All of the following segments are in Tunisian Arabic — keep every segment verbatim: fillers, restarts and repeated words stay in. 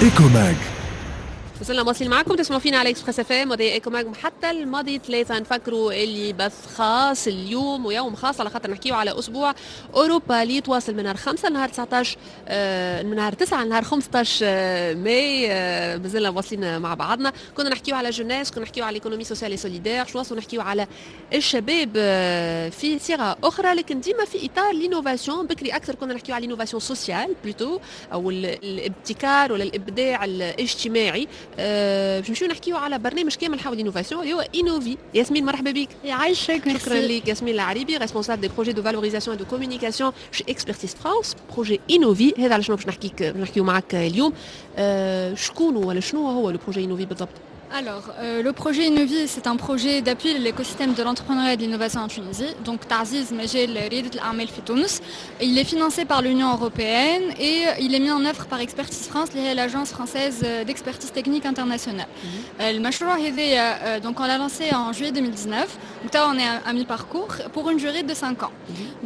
Ecomag. وصلنا مواصلين معكم، تسمعوا فينا على Express FM وهذي Ecomag حتى الماضي ثلاثة. نفكروا اللي بث خاص اليوم ويوم خاص على خاطر نحكيو على اسبوع اوروبا اللي يتواصل من نهار خمسة لنهار تسعطاش، آه، من نهار تسعة لنهار خمسطاش آه، ماي. آه، مازلنا واصلين مع بعضنا. كنا نحكيو على jeunesse، كنا نحكيو على l'économie sociale et solidaire، شو نواصلوا نحكيو على الشباب في صيغة اخرى لكن ديما في اطار l'innovation. بكري اكثر كنا نحكيو على l'innovation sociale plutôt او الابتكار ولا الابداع الاجتماعي. أه باش نمشيو نحكيو على برنامج كامل حول l'innovation اللي هو Innovi. ياسمين، مرحبا بك. يعيشك. شكرا لك ياسمين العريبي، responsable des projets de valorisation de communication chez Expertise France. projet Innovi هذا على شنو باش نحكيك نحكيو معك اليوم. أه شكون ولا شنو هو le projet Innovi بالضبط؟ Alors, euh, le projet Innovi, c'est un projet d'appui à l'écosystème de l'entrepreneuriat et de l'innovation en Tunisie. Donc, تعزيز مجال ريادة الأعمال في تونس. Il est financé par l'Union européenne et il est mis en œuvre par Expertise France, اللي هي l'agence française d'expertise technique internationale. المشروع هذايا, donc on l'a lancé en juillet deux mille dix-neuf. Donc là, on est à mi-parcours pour une durée de cinq ans.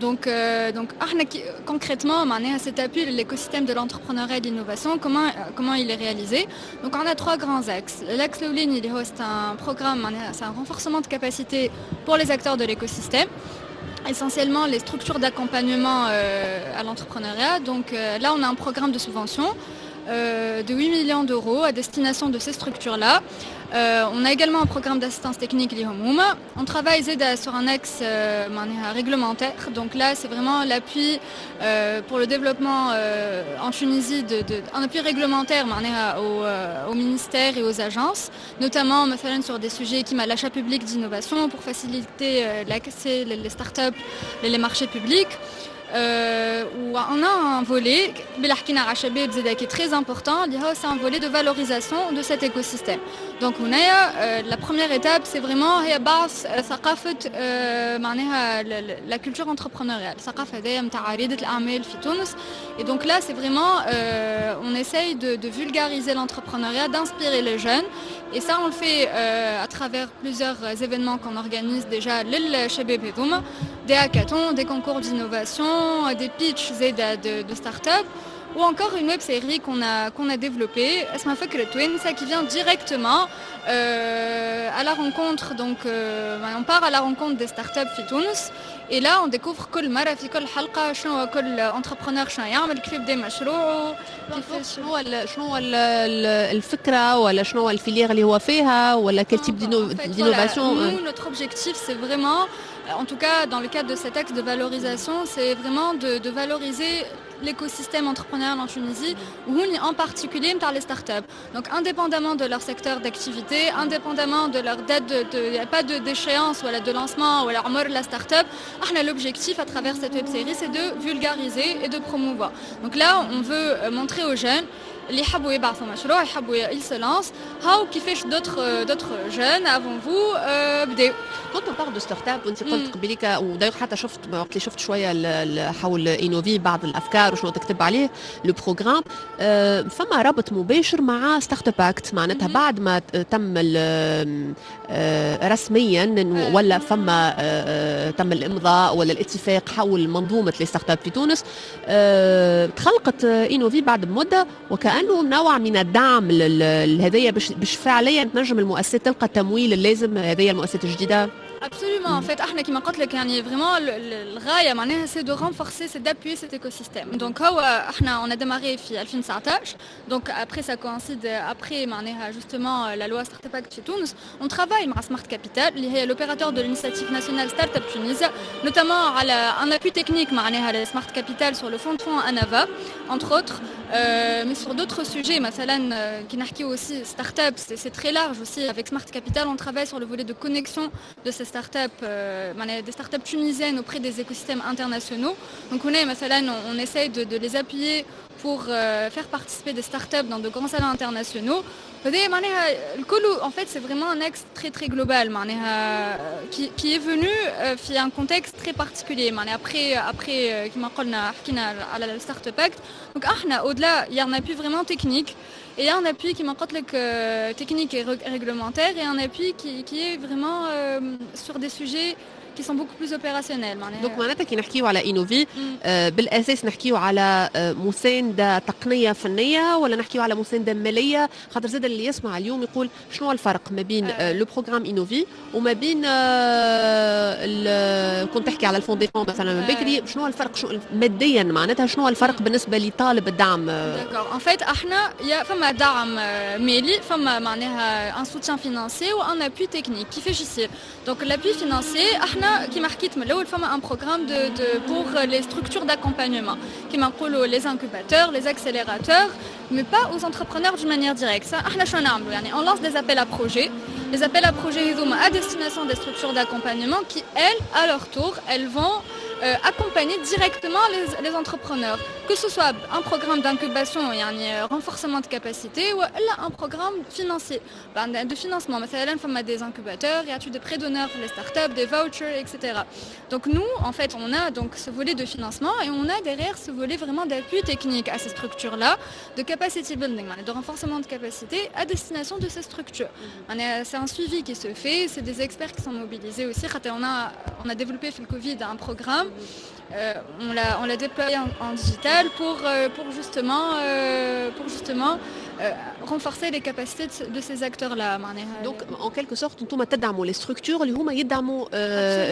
Donc, euh, donc احنا concrètement, معناها cet appui à l'écosystème de l'entrepreneuriat et de l'innovation, comment, comment il est réalisé? Donc, on a trois grands axes. L'axe الأولاني اللي هو c'est un programme, معناها c'est un renforcement de capacité pour les acteurs de l'écosystème, essentiellement les structures d'accompagnement euh, à l'entrepreneuriat. Donc euh, là, on a un programme de subvention euh, de huit millions d'euros à destination de ces structures-là. Euh, on a également un programme d'assistance technique ليهم هوما. On travaille زادة sur un axe euh, معناها réglementaire. Donc là, c'est vraiment l'appui euh, pour le développement euh, en Tunisie, de, de, un appui réglementaire معناها au, euh, au ministère et aux agences, notamment مثلا sur des sujets كيما l'achat public d'innovation pour faciliter euh, l'accès les, les startups et les marchés publics. Euh, où on a un volet اللي حكينا على الشباب زادة qui est très important اللي هو c'est un volet de valorisation de cet écosystème. Donc هنايا euh, la première étape, c'est vraiment هي بعث ثقافة euh, معناها la culture entrepreneuriale، الثقافة هذيا نتاع ريادة الأعمال في تونس. Et donc là, c'est vraiment euh, on essaye de, de vulgariser l'entrepreneuriat, d'inspirer les jeunes, et ça, on le fait euh, à travers plusieurs événements qu'on organise déjà للشباب هذوما, des hackathons, des concours d'innovation, des pitchs زادة de, de start-up ou encore une web série qu'on a, qu'on a développée, اسمها فكرة توانسة, qui vient directement euh, à la rencontre, donc euh, on part à la rencontre des startups في تونس et là on découvre كل مرة في كل حلقة شنو كل entrepreneur شنو يعمل، كيف بدا مشروعه. كيف شنو هو شنو هو الفكرة ولا شنو هو ال filière اللي هو فيها ولا quel type d'innovation؟ Nous, notre objectif, c'est vraiment, en tout cas dans le cadre de cet axe de valorisation, c'est vraiment de, de valoriser l'écosystème entrepreneurial en Tunisie, ou en particulier par les startups. Donc indépendamment de leur secteur d'activité, indépendamment de leur date de, il n'y a pas d'échéance ou de lancement ou alors la start-up, احنا l'objectif à travers cette web série, c'est de vulgariser et de promouvoir. Donc là, on veut montrer aux jeunes اللي يحبوا يبعثوا مشروع، يحبوا ils se lancent، هاو كيفاش d'autres d'autres jeunes avant vous بداو. Quand on parle de start-up، وانت قلت قبليك و d'ailleurs حتى شفت وقت اللي شفت شويه حول Innovi بعض الافكار وشنو تكتب عليه le programme، فما ربط مباشر مع Startup Act. معناتها بعد ما تم رسميا ولا فما تم الامضاء ولا الاتفاق حول منظومه les startups في تونس، تخلقت Innovi بعد بمده وكانه نوع من الدعم لهذايا باش باش فعليا تنجم المؤسسات تلقى التمويل اللازم، هذه المؤسسات الجديده. Absolument. En fait, احنا كما قلت لك يعني vraiment الغاية معناها c'est de renforcer, c'est d'appuyer cet écosystème. Donc هو احنا on a démarré في deux mille dix-neuf. Donc après, ça coïncide après معناها justement la loi Startup Act في تونس. On travaille مع Smart Capital اللي هي l'opérateur de l'initiative nationale Startup Tunisia, notamment على un appui technique معناها Smart Capital sur le fonds de fonds Anava, entre autres, euh, mais sur d'autres sujets مثلا كي نحكيو aussi startup, c'est très large aussi. Avec Smart Capital, on travaille sur le volet de connexion de ces startups, euh, des startups tunisiennes auprès des écosystèmes internationaux. Donc on est, مثلا, on, on essaye de, de les appuyer pour euh, faire participer des startups dans de grands salons internationaux. En fait, c'est vraiment un axe très très global qui, qui est venu في un contexte très particulier après après كما قلنا حكينا على le Startup Act. Donc احنا au-delà, il y a un appui vraiment technique et il y a un appui كيما قلت لك technique et réglementaire et un appui qui, qui est vraiment euh, sur des sujets qui sont beaucoup plus opérationnels. Donc معناتها كي نحكيو على Innovi آه بالاساس نحكيو على آه مساندة تقنية فنية ولا نحكيو على مساندة ماليه؟ خاطر زاد اللي يسمع اليوم يقول شنو الفرق ما بين آه le programme Innovi وما بين آه كنت تحكي على ال fonds des fonds مثلا من بكري، شنو الفرق شو ماديا معناتها شنو الفرق بالنسبة لطالب الدعم؟ D'accord, en fait احنا يا فما دعم مالي، فما معناها un soutien financier و un appui technique. كيفاش يصير؟ Donc l'appui financier، احنا كيما حكيت من الاول فما un programme de de pour les structures d'accompagnement، كيما نقولوا les incubateurs, les accélérateurs, mais pas aux entrepreneurs d'une manière directe. Ça احنا شنو نعملوا؟ يعني on lance des appels à projets. Les appels à projets هذوما à destination des structures d'accompagnement qui, elles, à leur tour, elles vont euh, accompagner directement les, les entrepreneurs, que ce soit un programme d'incubation, يعني renforcement de capacité, ou un programme financier, de financement. مثلا فما des incubateurs, il y a des prêts d'honneur pour les startups, des vouchers, et cetera. Donc nous, en fait, on a donc ce volet de financement et on a derrière ce volet vraiment d'appui technique à ces structures-là, de capacity building, de renforcement de capacité à destination de ces structures. C'est un suivi qui se fait, c'est des experts qui sont mobilisés aussi. On a, on a développé في le Covid un programme, euh, on l'a on l'a déployé en, en digital pour, euh, pour justement, euh, pour justement euh, renforcer les capacités de, de ces acteurs-là. Donc en quelque sorte انتم تدعموا les structures اللي هما يدعموا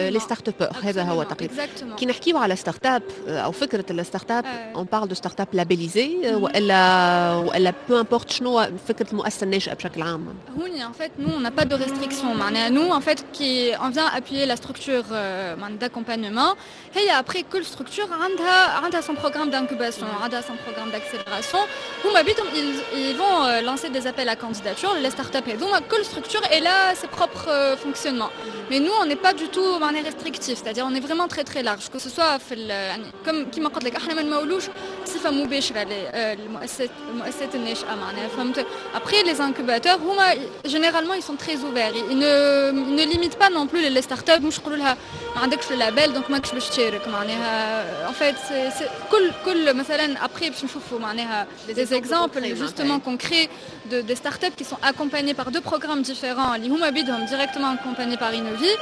les startuppeurs، هذا هو تقريبا. كي نحكيو على startup او فكرة ال startup، on parle de startup labellisée والا والا peu importe؟ شنو فكرة المؤسسة الناشئة بشكل عام؟ هوني en fait nous, on n'a pas de restrictions. معناها nous, en fait, كي on vient appuyer la structure euh, d'accompagnement هي après كل structure عندها عندها son programme d'incubation، عندها son programme d'accélération. هما بيدهم ils, ils vont euh, lancer des appels à candidature les startups هذوما. كل structure elle a ses propres euh, fonctionnements, mais nous, on n'est pas du tout معناها restrictif, c'est-à-dire on est vraiment très très large, que ce soit في يعني comme كيما قلت لك احنا ما نمولوش بصفة مباشرة المؤسسات المؤسسات الناشئه، معناها فهمت. Après, les incubateurs هما généralement ils sont très ouverts, ils ne ils ne limitent pas non plus les startups، مش يقولوا لها ما عندكش le label donc ماكش باش تشارك. معناها en fait كل كل مثلا après باش نشوفوا معناها des exemples justement concrets de des startups qui sont accompagnées par deux programmes différents اللي هما بيدهم directement accompagnés par Innovi.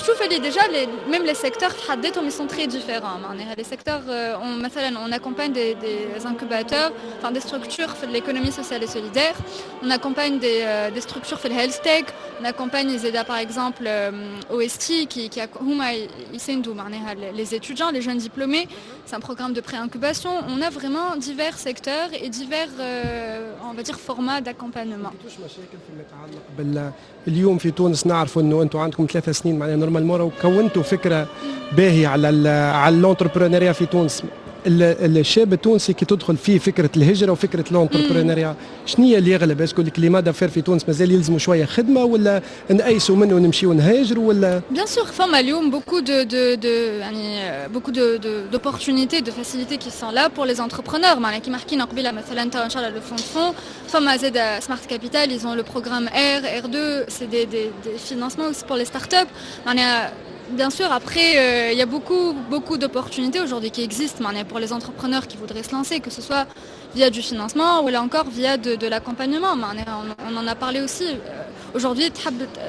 شوف اللي déjà les, même les secteurs في حد ذاتهم ils sont très différents. معناها les secteurs, on, مثلا on accompagne des, des incubateurs, enfin des structures في l'économie sociale et solidaire, on accompagne des, euh, des structures في health tech, on accompagne زاده par exemple euh, O S T qui, qui هما يساندوا معناها les étudiants, les jeunes diplômés, c'est un programme de pré-incubation. On a vraiment divers secteurs et divers euh, on va dire formats d'accompagnement. مشاكل فيما يتعلق بال اليوم في تونس، نعرفوا انه انتم عندكم ثلاث سنين، معناها normalement كونتوا فكرة باهيه على على l'entrepreneuriat في تونس. الشاب التونسي كي تدخل فيه فكرة الهجرة وفكره l'entrepreneuriat، شنو هي اللي يغلب؟ est-ce que ال climat d'affaires في تونس مازال يلزموا شوية خدمه، ولا نأيسوا منه ونمشيو نهاجروا ولا؟ Bien sûr, فما اليوم beaucoup de de de يعني beaucoup de d'opportunités, de facilités qui sont là pour les entrepreneurs. معناها كيما حكينا قبيلة مثلا ان شاء الله le fonds de fonds، فما زاد Smart Capital, ils ont le programme R, R deux, c'est des, des, des financements aussi pour les startups. معناها bien sûr, après, euh, il y a beaucoup, beaucoup d'opportunités aujourd'hui qui existent معناها pour les entrepreneurs qui voudraient se lancer, que ce soit via du financement ولا encore via de, de l'accompagnement. On, on en a parlé aussi. Aujourd'hui,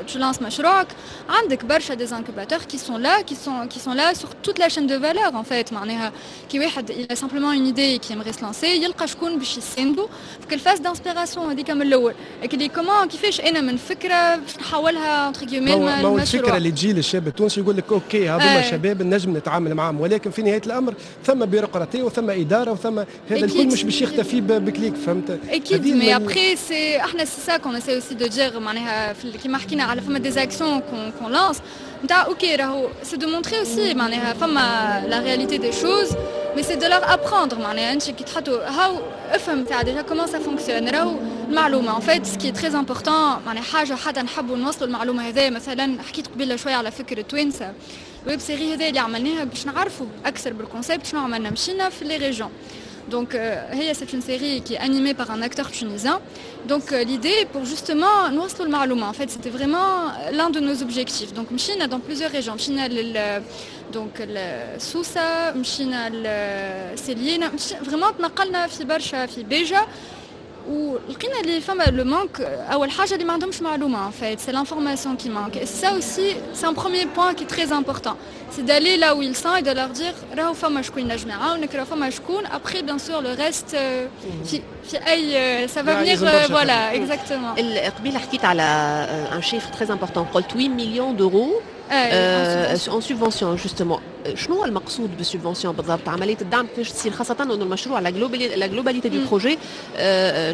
tu lances مشروعك، عندك برشا des incubateurs qui sont là, qui sont, qui sont là sur toute la chaîne de valeur en fait. معناها كي واحد il a simplement une idée et qui aimerait se lancer، يلقى شكون باش يساندو في ال phase d'inspiration هذيك من الاول. اللي comment كيفاش انا من فكرة باش نحولها entre guillemets. ما هو الفكرة اللي تجي للشاب التونسي يقول لك OK، هذوما شباب نجم نتعامل معاهم، ولكن في نهاية الامر ثم بيروقراطيه وثم ادارة وثم هذا الكل مش باش يختفي ب clic، فهمت؟ اكيد, mais après c'est احنا c'est ça qu'on essaie aussi de dire. معناها كيما حكينا على فما des actions qu'on qu'on lance نتاع OK راهو c'est de montrer aussi معناها فما la réalité des choses, mais c'est de leur apprendre. معناها انت كي تحطوا هاو افهم تاع déjà comment ça fonctionne. راهو المعلومة en fait, ce qui est très important، معناها حاجة حتى نحبوا نوصلوا المعلومة هذه. مثلا حكيت قبيلة شوية على فكرة توانسه، web série هذا اللي عملناها باش نعرفوا اكثر بال concept. شنو عملنا؟ مشينا في les régions. Donc, euh, c'est une série qui est animée par un acteur tunisien. Donc, euh, l'idée pour justement نوصلوا المعلومة. En fait, c'était vraiment l'un de nos objectifs. Donc, مشينا dans plusieurs régions. مشينا donc سوسة، مشينا سليانة، vraiment تنقلنا في برشا في بيجا. ولقينا اللي فما le manque. اول حاجه اللي ما عندهمش معلومه, en fait c'est l'information qui manque, et ça aussi c'est un premier point qui est très important, c'est d'aller là où ils sont et de leur dire راهو فما شكون ينجم يعاونك, راهو فما شكون. Après, bien sûr, le reste في في اي ça va venir, voilà, exactement. قبيله حكيت على un chiffre très important, قلت huit millions d'euros en subvention. Justement, شنو هو المقصود بال subvention بالضبط؟ عمليه الدعم كيفاش تصير؟ خاصه انه المشروع, la globalité la globalité du projet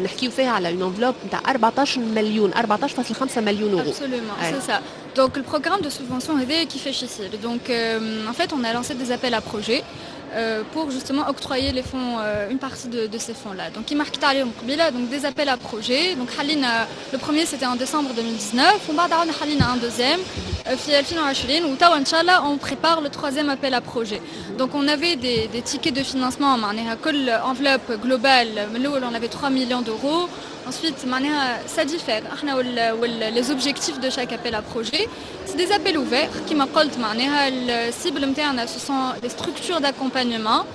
نحكيو فيها على une enveloppe نتاع أربعطاش مليون, أربعطاش فاصل خمسة مليون اورو. Absolument, c'est ça. Donc le programme de subvention هذا كيفاش يصير؟ Donc euh, en fait, on a lancé des appels à projets euh, pour justement octroyer les fonds, euh, une partie de, de ces fonds-là. Donc, كيما حكيت عليهم قبيلة, donc des appels à projets. Donc, حلينا, le premier c'était en décembre deux mille dix-neuf, ومن بعد عاودنا حلينا un deuxième في ألفين وعشرين, وتوا إن شاء الله on prépare le troisième appel à projet. Donc on avait des, des tickets de financement, معناها كل enveloppe globale, من الأول on avait trois millions d'euros. Ensuite, معناها ça diffère احنا وال les objectifs de chaque appel à projet. C'est des appels ouverts كيما قلت, معناها ال cible نتاعنا ce sont les structures d'accompagnement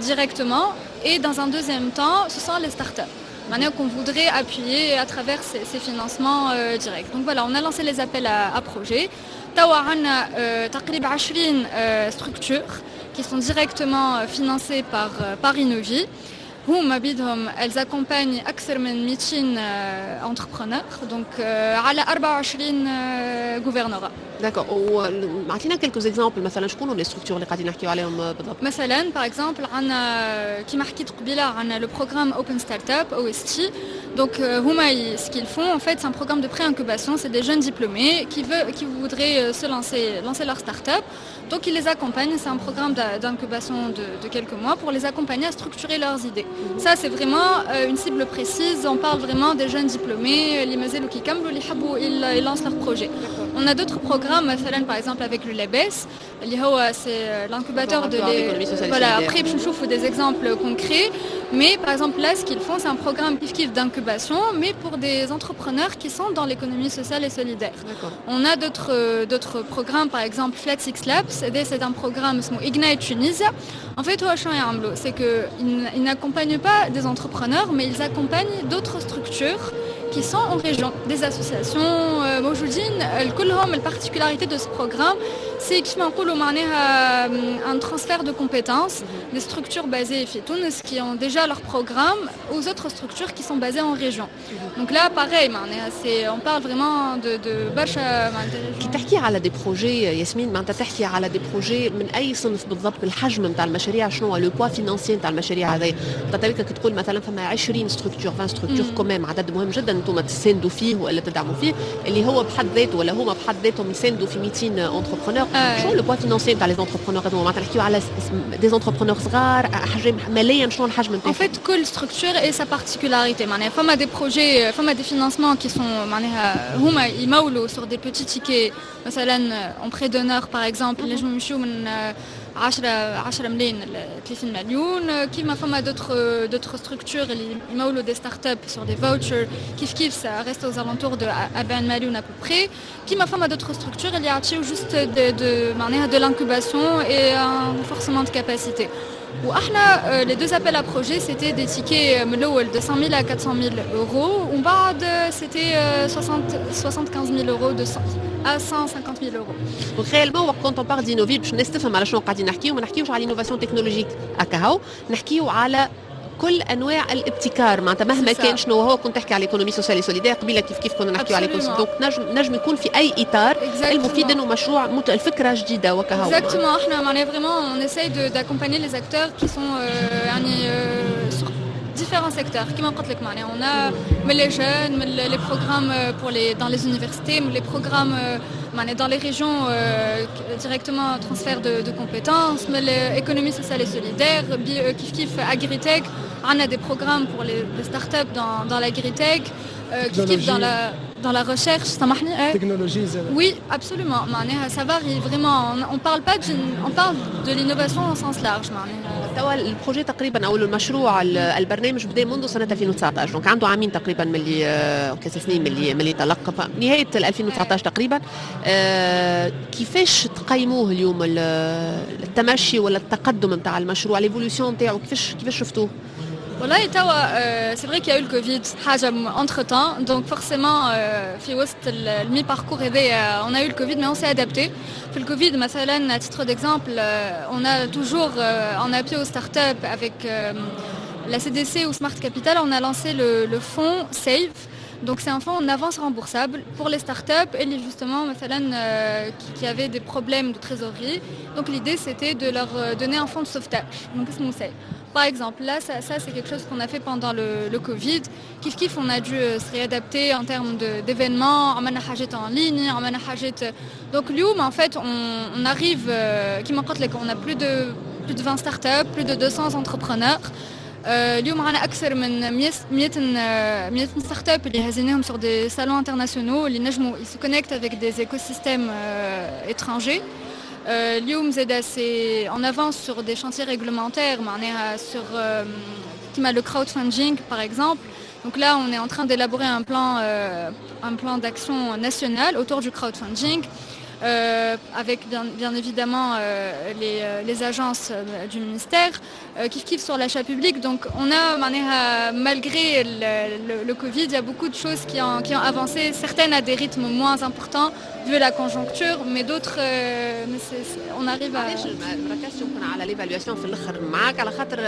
directement et dans un deuxième temps ce sont les startups معناها qu'on voudrait appuyer à travers ces, ces financements euh, directs. Donc voilà, on a lancé les appels à, à projets. توا عندنا تقريبا عشرين structures qui sont directement financées par, par Innovi. هما بيدهم elles accompagnent أكثر من ميتين entrepreneurs, donc على أربعة وعشرين gouvernorat. D'accord, ومعطينا quelques exemples, مثلا شكون les structures اللي قاعدين نحكيو عليهم بالضبط؟ مثلا par exemple عندنا كيما حكيت قبيله عندنا le programme Open Startup, O S T. Donc هما ce qu'ils font, en fait, c'est un programme de pré-incubation, c'est des jeunes diplômés qui veulent qui voudraient se lancer lancer leur start-up. Donc ils les accompagnent, c'est un programme d'incubation de, de quelques mois pour les accompagner à structurer leurs idées. Ça, c'est vraiment une cible précise, on parle vraiment des jeunes diplômés اللي مازالوا كي كملوا اللي يحبوا ils lancent leur projet. On a d'autres programmes, مثلا par exemple avec le LABES, اللي هو c'est l'incubateur de les, voilà, après باش نشوفوا des exemples concrets, mais par exemple là, ce qu'ils font, c'est un programme كيف كيف d'incubation, mais pour des entrepreneurs qui sont dans l'économie sociale et solidaire. On a d'autres d'autres programmes, par exemple Flat Six Labs, c'est un programme اسمه Ignite Tunisia. En fait, c'est qu'ils n'accompagnent pas des entrepreneurs, mais ils accompagnent d'autres structures qui sont en région, des associations موجودين كلهم. La particularité de ce programme, c'est كيما نقولوا معناها un transfert de compétences des structures basées في تونس qui ont déjà leur programme aux autres structures qui sont basées en région. Donc là, pareil, معناها c'est on parle vraiment de de برشا. كي تحكي على des projets ياسمين, معناتها تحكي على des projets من اي صنف بالضبط؟ الحجم نتاع المشاريع شنو هو؟ Le poids financier نتاع المشاريع هذه؟ معناتها كي تقول مثلا فما عشرين structures, vingt structures, quand même عدد مهم جدا انتم تساندوا فيه ولا تدعموا فيه, اللي هو بحد ذاته ولا هما بحد ذاتهم يساندوا في ميتين entrepreneurs. شنو le poids financier نتاع les entrepreneurs هذوما؟ معناتها نحكيو على des entrepreneurs صغار, حجم ماليا شنو الحجم نتاعهم؟ En fait, كل structure et sa particularité. معناها فما des projets, فما des financements qui sont معناها هما يمولوا sur des petits tickets, مثلا en prêt d'honneur par exemple ينجموا يمشيو من عشرة عشرة ملايين ل ثلاثين مليون. كيما فما d'autres d'autres structures اللي يمولوا des startups sur des vouchers, كيف كيف ça reste aux alentours de أربعين مليون à peu près. كيما فما d'autres structures اللي يعطيو juste de, de معناها de l'incubation et un renforcement de capacité. واحنا les deux appels à projets, c'était des tickets من الاول de cent mille à quatre cent mille euros, ومن بعد c'était soixante soixante-quinze mille euros, de cent à cent cinquante mille euros. Donc réellement, quand on parle d'Innovi, باش الناس تفهم على شنو قاعدين نحكيو, ما نحكيوش على l'innovation technologique هكا, نحكيو على كل انواع الابتكار, معناتها مهما كان شنو هو. كنت تحكي على l'économie sociale et solidaire قبيله, كيف كيف كنا نحكيو على, donc نجم نجم يكون في اي اطار, المفيد انه مشروع مت... الفكره جديده وكهو. Exactement, احنا معناها vraiment on essaye d'accompagner les acteurs qui sont euh, يعني euh, sur différents secteurs. كيما قلت لك معناها on a من les jeunes, من les programmes pour les dans les universités, من les programmes معناها dans les régions, euh, directement transfert de, de compétences, من l'économie sociale et solidaire, كيف كيف agritech, on a des programmes pour les, les startups dans, dans l'agritech, euh, كيف كيف dans la dans la recherche, سامحني. Technologie. Oui, absolument. معناها ça varie vraiment. On, on parle pas d'une, on parle de l'innovation au sens large. معناها. توا ال projet تقريبا او المشروع, البرنامج بدا منذ سنه ألفين وتسعطاش, donc عنده عامين تقريبا من اللي, ثلاث سنين من اللي من اللي تلقى, نهايه ألفين وتسعطاش تقريبا. كيفاش تقيموه اليوم, التمشي ولا التقدم نتاع المشروع, l'évolution نتاعو, كيفاش كيفاش شفتوه؟ والله توا c'est vrai qu'il y a eu le Covid حاجة entre temps، donc forcément في وسط ال mi-parcours هذايا on a eu le Covid، mais on s'est adapté. في الكوفيد مثلا، à titre d'exemple، on a toujours en appui aux startups avec la C D C ou Smart Capital، on a lancé le, le fonds SAVE. Donc c'est un fonds en avance remboursable pour les startups et les justement مثلا euh, qui, qui avaient des problèmes de trésorerie. Donc l'idée، c'était de leur donner un fonds de sauvetage. Donc اسمه SAVE. Par exemple، là، ça, ça c'est quelque chose qu'on a fait pendant le, le Covid. كيف كيف، on a dû se réadapter en termes d'événements، عملنا حاجات en ligne، عملنا حاجات. Donc اليوم، en fait، on, on arrive، كيما قلت لك، on a plus de plus de vingt startups، plus de deux cents entrepreneurs. اليوم عندنا اكثر من مية مية startup اللي هزيناهم sur des salons internationaux، اللي نجموا ils se connectent avec des écosystèmes étrangers. اليوم زادا c'est on avance sur des chantiers réglementaires، معناها sur كيما le crowdfunding par exemple. Donc là، on est en train d'élaborer un plan un plan d'action national autour du crowdfunding Euh, avec bien, bien évidemment euh, les, les agences euh, du ministère، كيف كيف sur l'achat public. Donc on a، معناها malgré le, le, le Covid، il y a beaucoup de choses qui ont, qui ont avancé، certaines à des rythmes moins importants vu la conjoncture، mais d'autres mais c'est, on arrive à علاش ما ركزتش يمكن على l'évaluation في الاخر معاك؟ على خاطر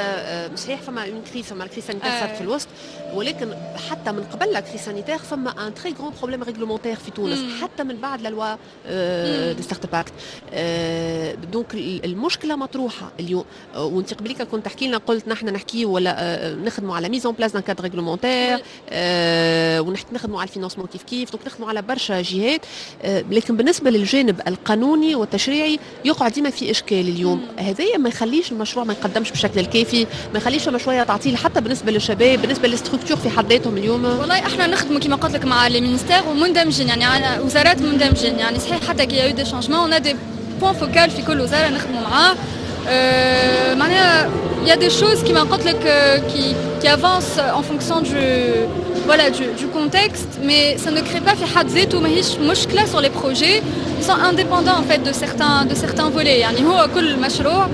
صحيح فما une crise، فما crise sanitaire صارت في الوسط، ولكن حتى من قبل la crise sanitaire فما un très grand problème réglementaire في تونس، حتى من بعد la loi des startups act. donc المشكلة مطروحة اليوم، وانت قبليك كنت تحكي لنا، قلت نحن نحكي ولا نخدموا على mise en place d'un cadre réglementaire، ونخدموا على ال financement كيف كيف، donc نخدموا على برشا جهات، لكن بالنسبة للجانب القانوني والتشريعي يقعد ديما في اشكال. اليوم هذايا ما يخليش المشروع ما يقدمش بالشكل الكافي، ما يخليش فما شوية تعطيل حتى بالنسبة للشباب، بالنسبة لل structures في حد ذاتهم اليوم؟ والله احنا نخدموا كما قلت لك مع les ministères ومندمجين، يعني على وزارات مندمجين، يعني صحيح حتى qu'il y a eu des changements، on a des points focaux في كل وزارة نخدموا معاه. euh, معناها il y a des choses كيما قلت لك qui, qui avancent en fonction du voilà du, du contexte، mais ça ne crée pas في حد ذاته، ماهيش مشكلة sur les projets، ils sont indépendants en fait de certains de certains volets. يعني هو كل مشروع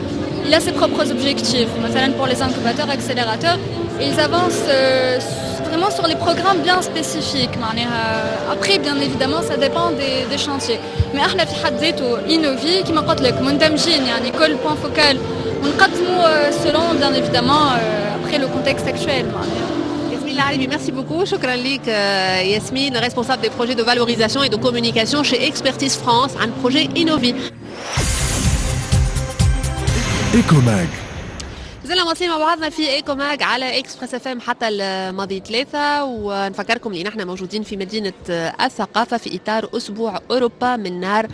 il a ses propres objectifs، مثلا pour les incubateurs accélérateurs، et ils avancent euh, vraiment sur les programmes bien spécifiques. معناها après، bien évidemment، ça dépend des, des chantiers، mais احنا في حد ذاته Innovi كما قلت لك مندمجين، يعني كل point focal ونقدموا selon bien évidemment après le contexte actuel. معناها ياسمين العريبي، merci beaucoup. شكرا لك ياسمين، responsable des projets de valorisation et de communication chez Expertise France عن projet Innovi. Ecomag. مازلنا مواصلين مع بعضنا في Ecomag على Express FM حتى الماضي ثلاثة، ونفكركم اللي نحن موجودين في مدينة الثقافة في إطار أسبوع أوروبا من نهار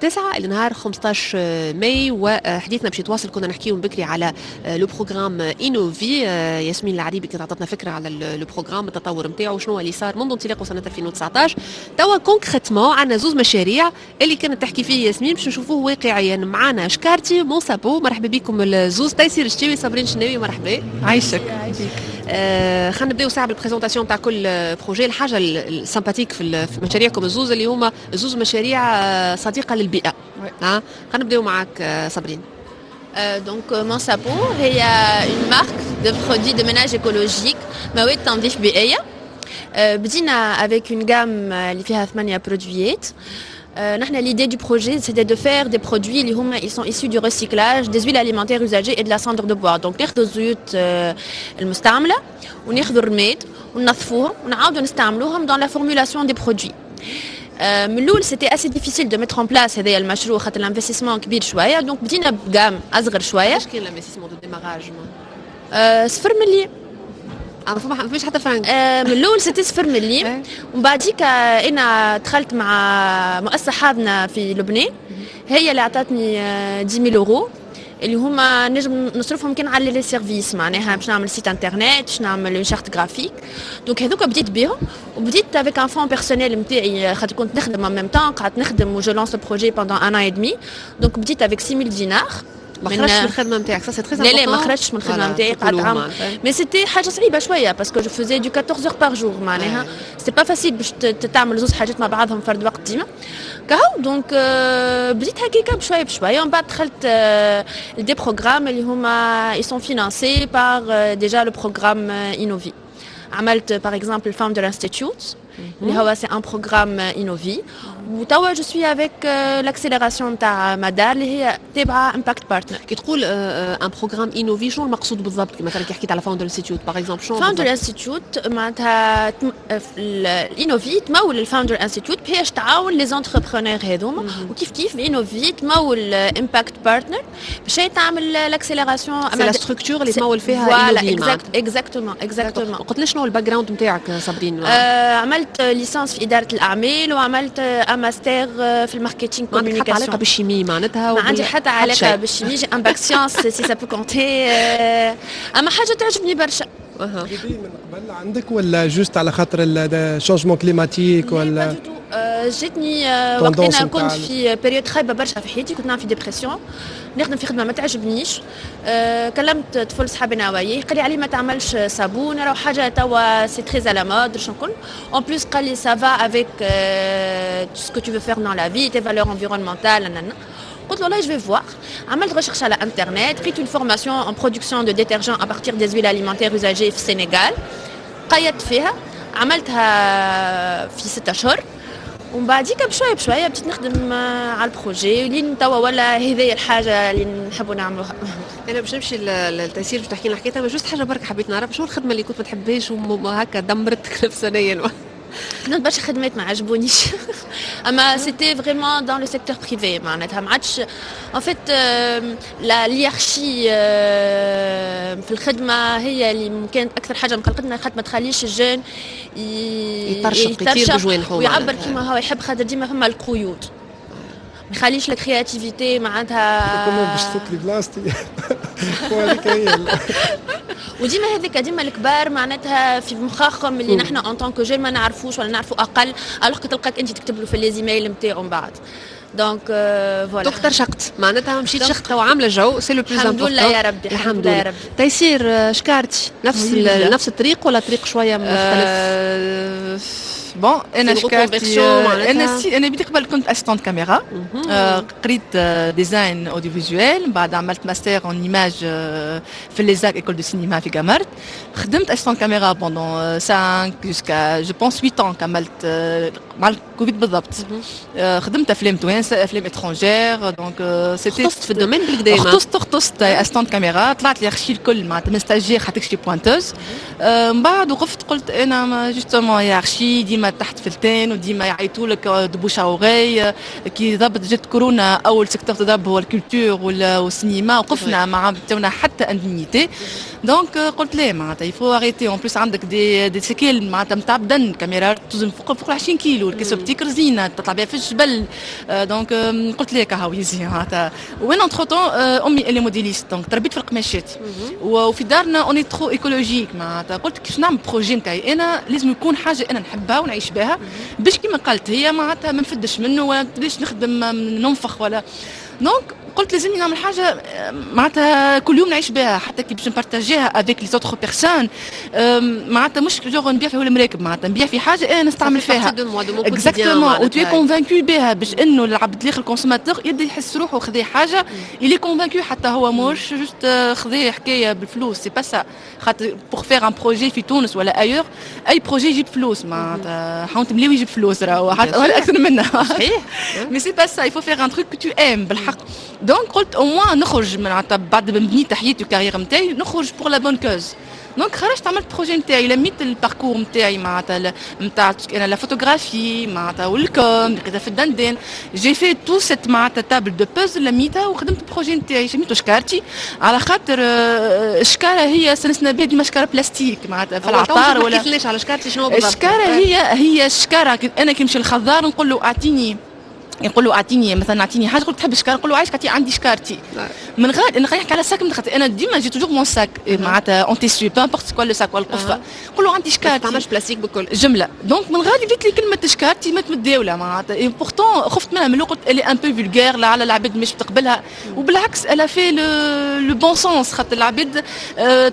تسعة الى نهار خمسطاش ماي، وحديثنا باش يتواصل. كنا نحكيو من بكري على le programme Innovi. ياسمين العريبي كانت عطتنا فكرة على le programme، التطور نتاعو، شنو اللي صار منذ انطلاقة سنة ألفين وتسعطاش. توا concrètement عندنا زوز مشاريع اللي كانت تحكي فيه ياسمين باش نشوفوه واقعيا. معنا شكارتي، Mon Sabot. مرحبا بكم الزوز، تيسير الشتاوي، صابرين شناوي، مرحبا. عايشك. آه خلينا نبداو ساعة بال présentation تاع كل projet. الحاجة ال sympathique في مشاريعكم الزوز اللي هما زوز مشاريع صديقه للبيئه. ها خلينا نبداو معاك صابرين. Donc Mon Sabot هي une marque de produits de ménage écologique، مواد تنظيف بيئية. بدينا avec une gamme اللي فيها ثمانية produit ات. نحن l'idée du projet، c'était de faire des produits اللي هما ils sont issus du recyclage des huiles alimentaires usagées et de la cendre de bois. donc ناخذوا الزيوت المستعملة وناخذوا الرماد وننظفوهم ونعاودوا نستعملوهم dans la formulation des produits. من الاول c'était assez difficile de mettre en place هذايا المشروع خاطر l'investissement كبير شويه، donc بدينا ب gamme اصغر شويه. ايش كان l'investissement de démarrage؟ صفر مليم. ما فماش حتى فرنك؟ آه من الاول c'était صفر مليم، ومن بعديك انا دخلت مع مؤسسة حاضنة في لبنان، هي اللي اعطتني عشرة آلاف اورو اللي هما نجم نصرفهم كان على les services، معناها باش نعمل site internet، باش نعمل une charte graphique. donc هذوك بديت بيهم، وبديت avec un fonds personnel نتاعي خاطر كنت نخدم en même temps، قعدت نخدم و je lance projet pendant un an et demi. donc بديت avec ستة آلاف دينار. ما خرجتش من الخدمة نتاعك، ça c'est très لا لا، ما خرجتش من الخدمة نتاعي، قعدت عام، mais c'était حاجة صعيبة شوية parce que je faisais du quatorze heures par jour، معناها c'est pas facile باش تعمل زوز حاجات مع بعضهم فرد وقت ديما. كهو donc بديت هكاكا بشوية بشويه، ومن بعد دخلت des programmes اللي هما ils sont financés par déjà le programme Innovi. عملت par exemple Founder Institute اللي هو c'est un programme Innovi، وتوا je suis avec l'accélération تاع مدار اللي هي تابعه Impact Partner. كي تقول un programme Innovi، شنو المقصود بالضبط؟ مثلا كي حكيت على Founder Institute par exemple، شنو؟ Founder Institute معناتها ال Innovi تمول ال Founder Institute باش تعاون les entrepreneurs هذوما، وكيف كيف Innovi تمول Impact Partner باش تعمل l'accélération. c'est la structure اللي تمول فيها Innovi. voilà، exactement exactement. قلت لي شنو ال background نتاعك صابرين؟ آه عملت licence في ادارة الاعمال وعملت ماستر في ال marketing communication. ما عندك حتى علاقة بال chimie معناتها؟ ما عندي حتى علاقة بال chimie، j'ai un bac sciences si ça peut compter، اما حاجة تعجبني برشا. من قبل عندك ولا juste على خاطر ال changement climatique ولا؟ جاتني وقت انا كنت في période خايبة برشا في حياتي، كنت نعمل في dépression، نخدم في خدمة ما تعجبنيش. أه كلمت طفل صحابنا وياه، قال لي علي ما تعملش صابون، راهو حاجة توا c'est très à la mode شنو نقول، en plus قال لي ça va avec ce que tu veux faire dans la vie، tes valeurs environnementales. قلت له والله je vais voir. عملت recherche على انترنت، لقيت une formation en production de détergent à partir des huiles alimentaires usagées في السنغال، قيدت فيها، عملتها في ستة اشهر، ومن بعديك بشوية بشوية بديت نخدم على ال projet لين توا ولا هذه الحاجة اللي نحبوا نعملوها. انا باش نمشي للتيسير باش تحكي لنا حكايتها، juste حاجة برك حبيت نعرف، شنو الخدمة اللي كنت ما تحبهاش وهكا دمرتك نفسانيا؟ خدمت برشا خدمات ما عجبونيش، اما c'était vraiment dans le secteur privé، معناتها ما عادش en fait la hiérarchie في الخدمة هي اللي كانت اكثر حاجة مقلقتنا، خاطر ما تخليش ال jeune يطرشق، يطير بجوانحه ويعبر كيما هو يحب، خاطر ديما فما القيود، ما يخليش la créativité معناتها. comment باش تفك لي بلاصتي وهذيك هي. وديما هذيك ديما الكبار معناتها في مخاخهم اللي نحن en tant que jeunes ما نعرفوش ولا نعرفوا اقل، alors تلقاك انت تكتب له في les emails نتاعو من بعد، donc voilà. donc ترشقت معناتها، مشيت شخت وعامله جو، c'est le plus الحمد لله يا ربي. الحمد لله يا ربي. تيسير، شكارتي نفس نفس الطريق ولا طريق شوية مختلف؟ bon، انا شكارتي انا si انا بدي قبل كنت assistante caméra، قريت design audiovisuel، بعد عملت master en image في l'ESAC، école de cinéma في قمرت. خدمت assistante caméra pendant cinq jusqu'à je pense huit ans، كملت مع الكوفيد بالضبط. خدمت افلام توانسه، افلام étrangères، donc c'était اختصت في ال domaine بالكدا. اختصت اختصت assistante caméra، طلعت لي hiérarchie الكل معناتها من stagiaire حتى شي pointeuse. من بعد وقفت، قلت انا justement hiérarchie ديما تحت فلتان وديما يعيطوا لك de bouche à oreille. كي ضبط جت كورونا، اول secteur تضرب هو ال culture والسينما، وقفنا ما عطونا حتى indemnité، donc قلت لا، معناتها il faut arrêter. en plus عندك des des séquelles معناتها نتاع بدن، كاميرا توزن فوق فوق عشرين كيلو، ال caisse optique رزينه تطلع بها في الجبل، donc قلت لك هاو يزي معناتها. وين entre-temps امي elle est modéliste، donc تربيت في القماشات، وفي دارنا on est trop écologique. معناتها قلت كيفاش نعمل projet نتاعي انا لازم يكون حاجة انا نحبها ونعيش بها، باش كيما قالت هي معناتها ما نفدش منه ولا ليش نخدم ننفخ ولا. donc قلت لازمني نعمل حاجة معناتها كل يوم نعيش بها، حتى كي باش نبارتاجيها avec les autres personnes، معناتها مش genre نبيع في المراكب، معناتها نبيع في حاجة انا نستعمل فيها exactement و tu es convaincu بها، باش انه العبد الاخر ال consommateur يبدا يحس روحه خذي حاجة il est convaincu، حتى هو مش juste خذي حكاية بالفلوس. c'est pas ça، خاطر pour faire un projet في تونس ولا ailleurs، اي projet يجيب فلوس، معناتها حاول تملي ويجيب فلوس راهو ولا اكثر منها. صحيح، mais c'est pas ça، il faut faire un truc que tu aimes بالحق. donc قلت au moins نخرج من بعد ما بنيت حياتي وال carrière نتاعي، نخرج pour la bonne cause. donc خرجت عملت projet نتاعي، لميت ال parcours نتاعي معناتها نتاع انا la photographie معناتها وال com لقيتها في الدندن، j'ai fait toute cette معناتها table de puzzle، لميتها وخدمت ال projet نتاعي، سميتو شكارتي، على خاطر الشكاره هي سنسنا بها ديما شكاره بلاستيك معناتها في العطار. ولا حكيتلناش على شكارتي شنو بالضبط؟ الشكاره هي هي الشكاره، انا كي نمشي للخضار نقول له اعطيني يقول له اعطيني مثلا اعطيني حاجة، يقول تحب شكاره، نقول له عايش عندي شكارتي. من غير انا نحكي على sac، من انا ديما j'ai toujours mon sac معناتها en tissu، peu importe quoi le sac ولا القفه، نقول له عندي شكارتي. ما تعملش بلاستيك بكل جملة. donc من غادي بدات لي كلمة شكارتي ما متداوله معناتها، et pourtant خفت منها من الاول، قلت elle est un peu vulgaire، لا على العباد مش بتقبلها، وبالعكس elle a fait le bon sens، خاطر العباد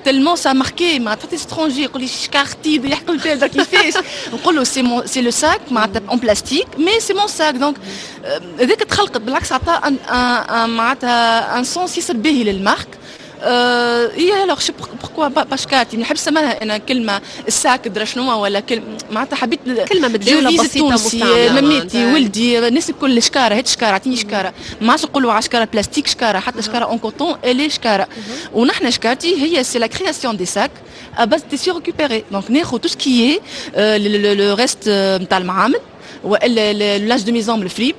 tellement ça marquait معناتها حتى étrangers يقول لي شكارتي، يحكوا لي كيفاش، نقول له c'est mon c'est le sac معناتها en plastique mais c'est mon sac. donc هذاك تخلقت بالعكس عطى معناتها un sens ياسر باهي لل marque. اي alors pourquoi pas شكارتي، ما نحبش نسميها انا كلمة ال sac درا شنو ولا كلمة، معناتها حبيت كلمة متداوله بسيطة مستعمله، مميتي ولدي الناس الكل شكاره، هات شكاره، اعطيني شكاره، ما عادش نقولوا على شكاره بلاستيك شكاره، حتى شكاره en coton elle est شكاره. ونحن شكارتي هي c'est la création des sacs à base tissu récupéré، donc ناخذ tout ce qui est le reste نتاع المعامل والا linge de maison من الفريب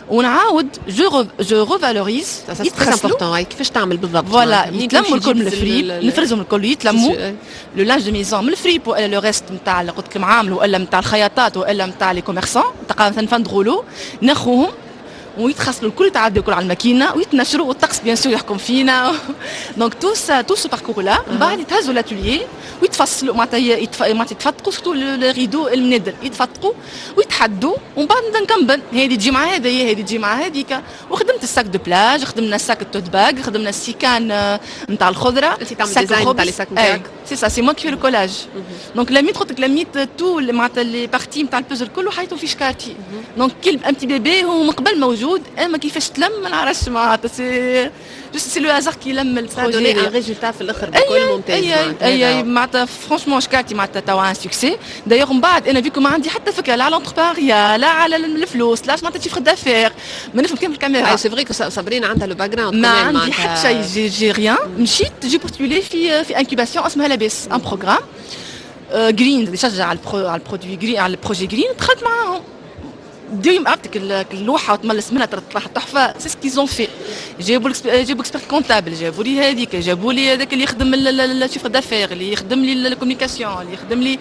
ونعاود je je revalorise. c'est très important، كيفاش تعمل بالضبط؟ voilà، يتلموا الكل من الفريب، نفرزهم الكل، يتلموا le linge de maison من الفريب والا le reste نتاع قلت لك المعامل والا نتاع الخياطات والا نتاع les commerçants، تلقى مثلا fin de rouleau، ناخوهم ويتخسروا الكل، يتعدوا الكل على الماكينة ويتنشروا، والطقس bien sûr يحكم فينا. donc tout ça tout ce parcours-là من بعد يتهزوا l'atelier ويتفصلوا، معناتها معناتها يتفتقوا، surtout les rideaux المنادل يتفتقوا ويتحدوا، ومن بعد نبدا نكمبن، هذه تجي مع هذه، هذه تجي مع هذيك. وخدمت ال sac de plage، خدمنا ال sac ال tote bag، خدمنا السيكان نتاع الخضره. انت تعمل design نتاع les sacs نتاعك؟ c'est ça، c'est moi qui le collage. donc لميت، قلت لك لميت tout معناتها les parties نتاع البوزل الكل وحيتو في شكارتي. donc كل un petit bébé هو من قبل موجود، اما كيفاش تلم ما نعرفش، معناتها c'est juste c'est le hasard qui لم ال projet un résultat في الاخر بكل ممتاز. اي اي اي معناتها franchement شكارتي معناتها توا un succès. d'ailleurs من بعد انا vu que ما عندي حتى فكرة لا على l'entrepreneuriat لا على الفلوس لا معناتها chiffre d'affaires، ما نفهم كان في الكاميرا. c'est vrai que صابرين عندها le background. ما عندي حتى شيء، j'ai j'ai rien. مشيت j'ai postulé في في incubation اسمها لاباس، un programme green يشجع على على ال produit green، على ال projet green. دخلت معاهم، ديما عرفتك اللوحة وتملس منها تطلع تحفه، c'est ce qu'ils ont fait. جابوا جابوا expert comptable، جابوا لي هذيك، جابوا لي هذاك اللي يخدم ال chiffre d'affaires، اللي يخدم لي ال communication، اللي يخدم لي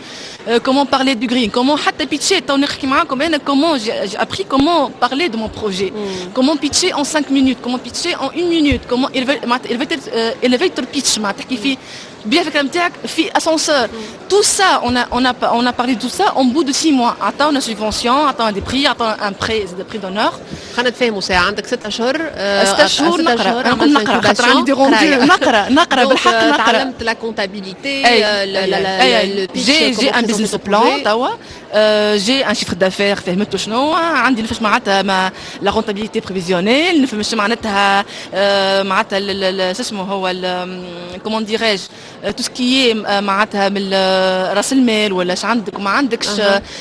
comment parler du green، comment حتى pitcher. تو نحكي معاكم انا comment j'ai appris comment parler de mon projet، comment pitcher en cinq minutes، comment pitcher en une minute، comment معناتها elevator pitch، معناتها تحكي فيه بيع الفكرة نتاعك في ascenseur. tout ça on a on a on a parlé de tout ça en bout de six mois. عطاونا subvention، عطاونا des prix، عطاونا un prix des prix d'honneur. خلينا نتفاهموا ساعه، عندك ست اشهر. ست اشهر نقرا، انا نقول نقرا خاطر عندي des rendez-vous، نقرا نقرا بالحق نقرا. تعلمت la comptabilité؟ j'ai j'ai un business plan توا، j'ai un chiffre d'affaires، فهمتو شنو عندي، نفهم معناتها ما la rentabilité prévisionnelle، نفهم شنو معناتها معناتها شو اسمه هو comment dirais-je tout ce qui est معناتها من راس المال ولا اش عندك وما عندكش،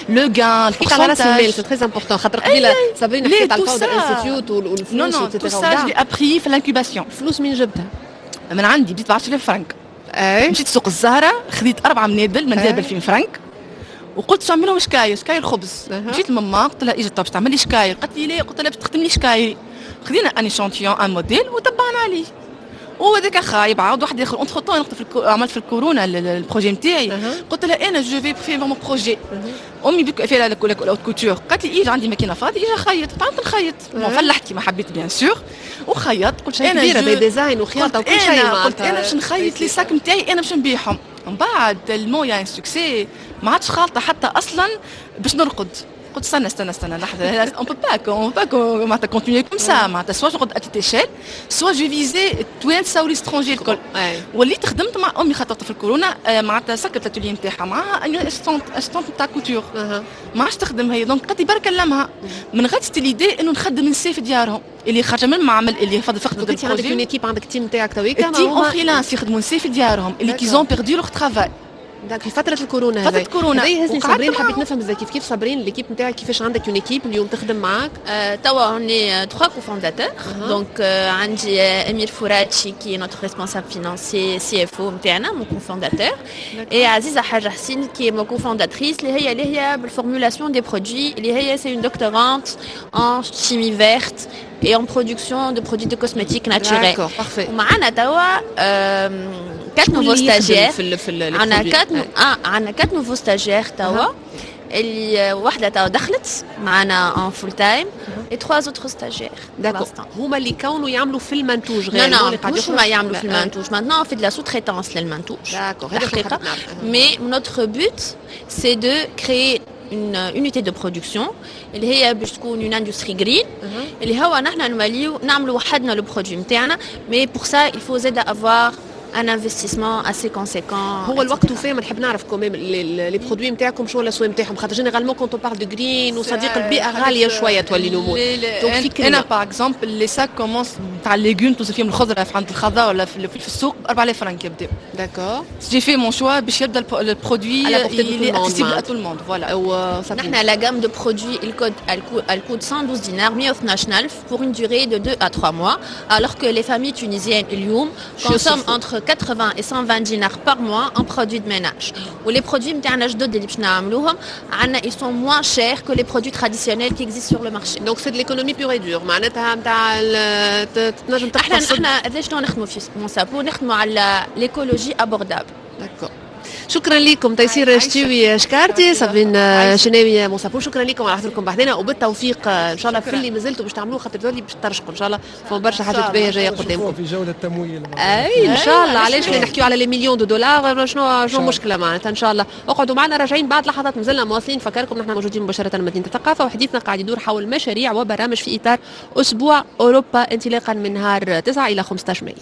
le gain. حكيت على راس المال، c'est très important، خاطر قبيلة صابرين حكيت على ال Founder Institute والفلوس. non non، tout ça j'ai appris في l'incubation. الفلوس مين جبتها؟ من عندي، بديت ب عشرة آلاف فرنك. مشيت سوق الزهره، خذيت اربعة منادل، منديل ب ألفين فرنك، وقلت شو نعمل لهم؟ شكاير، شكاير خبز. مشيت لماما قلت لها اجا باش تعمل لي شكاير، قالت لي لا، قلت لها باش تخدم لي شكاير. خذينا un échantillon، un modèle، وتبعنا عليه، وهذاك خايب، عاود واحد اخر. entre-temps في الكو... عملت في الكورونا ال projet نتاعي. قلت لها انا je vais faire mon projet. امي بك فيها la haute couture، قالت لي ايجا عندي ماكينة فاضية، ايجا خيط. تعلمت نخيط، فلحت كيما حبيت bien sûr، وخيطت. قلت انا كبيرة design وخياطه وكل شيء. قلت انا باش نخيط les sacs نتاعي، انا باش نبيعهم. من بعد tellement y a un succès ما عادش خالطه حتى اصلا باش نرقد. قلت استنى استنى استنى لحظه، on peut pas on peut pas معناتها continuer comme ça، معناتها soit je à petite échelle soit je vise التوانسة و les étrangers الكل. وليت خدمت مع امي خاطر في الكورونا معناتها سكرت l'atelier نتاعها، معاها une assistante assistante نتاع couture، ما عادش تخدم هي، donc قالت لي برك كلمها. من غادي l'idée انه نخدم نساء في ديارهم اللي خارجه من المعمل، اللي فضل فقدوا. انت عندك une équipe، عندك team تاعك تويكا؟ team en freelance، يخدموا نساء في ديارهم اللي qui ont perdu leur travail. donc في فترة الكورونا. فترة كورونا. هذا يهزني صابرين، حبيت نفهم زي كيف كيف صابرين l'équipe نتاعك، كيفاش عندك une équipe اليوم تخدم معاك؟ توا on est trois cofondateurs. donc عندي امير فراتشي qui est notre responsable financier، CFO نتاعنا، mon cofondateur، et عزيزه حاجة حسين qui est ma cofondatrice، اللي هي اللي هي بال formulation des produits، اللي هي c'est une doctorante en chimie verte et en production de produits de cosmétiques naturels. D'accord, parfait. ومعنا توا quatre nouveaux stagiaires. عندنا quatre عندنا quatre nouveaux stagiaires توا، اللي واحدة توا دخلت معنا en full time. et trois autres stagiaires. d'accord، هما اللي كونوا يعملوا في المنتوج؟ غير non non، مش هما يعملوا في المنتوج. maintenant on fait de la sous-traitance للمنتوج. d'accord. الحقيقة mais notre but c'est de créer une unité de production اللي هي باش تكون une industrie green، اللي هو نحن نوليو نعملوا وحدنا le produit نتاعنا، mais pour ça il faut زاد avoir un investissement assez conséquent. هو الوقت وفيه، ما نحب نعرف quand même les produits نتاعكم شنو الاسوام نتاعهم، خاطر généralement quand on parle de green وصديق البيئة غالية شوية تولي الامور. donc انا par exemple les sacs commencent تاع légumes، توصل فيهم الخضرة في عند الخضار ولا في, في السوق ب أربعة آلاف فرنك يبداو. d'accord. j'ai fait mon choix باش يبدا ال produit اللي accessible à tout le monde، voilà. نحن la gamme de produits elle coûte elle coûte cent douze dinars، مية واثناش ألف pour une durée de deux à trois mois، alors que les familles tunisiennes اليوم consomment entre quatre-vingts et cent vingt dinars par mois en produits de ménage. و les produits نتاعنا جدد اللي باش نعملوهم عندنا ils sont moins chers que les produits traditionnels qui existent sur le marché. donc c'est de l'économie pure et dure، معناتها نتاع تنجم احنا احنا هذا شنو نخدموا في Monsapo، نخدموا على l'écologie abordable. d'accord، شكرا لكم تيسير شتيوي شكارتي، صابرين شناوي، Monsapo. شكرا لكم على حضوركم بحذنا، وبالتوفيق ان شاء الله في اللي مازلتوا باش تعملوه، خاطر تولي باش ترشقوا ان شاء الله، فما برشا حاجات باهيه جاية قدامكم. في جولة تمويل. اي ان شاء الله، علاش نحكيو على les millions de dollars، شنو شنو المشكلة معناتها؟ ان شاء الله اقعدوا معنا، راجعين بعد لحظات، مازلنا مواصلين. فكركم نحن موجودين مباشرة من مدينة الثقافه، وحديثنا قاعد يدور حول مشاريع وبرامج في اطار اسبوع اوروبا انطلاقا من نهار تسعة الى خمسة عشر ماي.